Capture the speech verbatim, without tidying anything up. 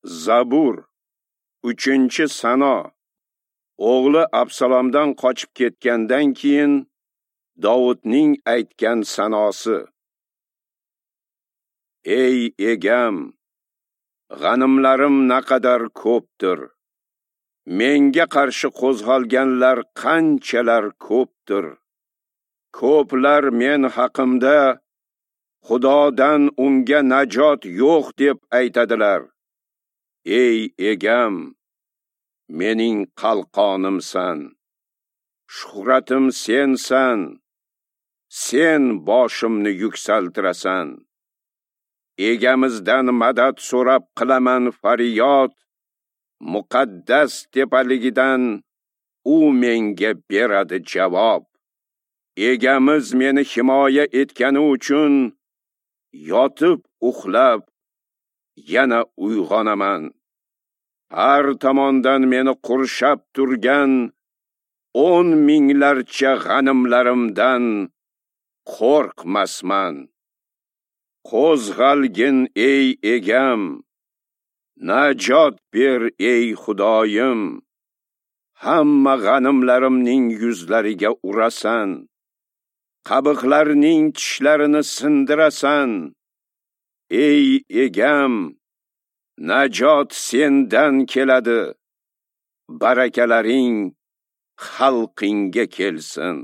Zabur, uchinchi sano. O'g'li Absalomdan qochib ketgandan keyin Dovudning aytgan sanosi. Ey egam, g'animlarim naqadar ko'pdir. Menga qarshi qo'zg'alganlar qanchalar ko'pdir. Ko'plar men haqimda Xudodan unga najot yo'q deb aytadilar. Ey egam, mening qalqonimsan, shuhratim sensan, sen boshimni yuksaltirasan. Egamizdan madad so'rab qilaman faryod, muqaddas tepaligidan u menga beradi javob. Egamiz meni himoya etgani uchun yotib uxlab yana uyg'onaman. Har tomondan meni qurshab turgan o'n minglarcha g'animlarimdan qo'rqmasman. Qo'zg'algin ey egam, najot ber ey Xudoyim. Hamma g'animlarimning yuzlariga urasan, qabiqlarning tishlarini sindirasan. Ey egam, najot sendan keladi. Barakalaring xalqingga kelsin.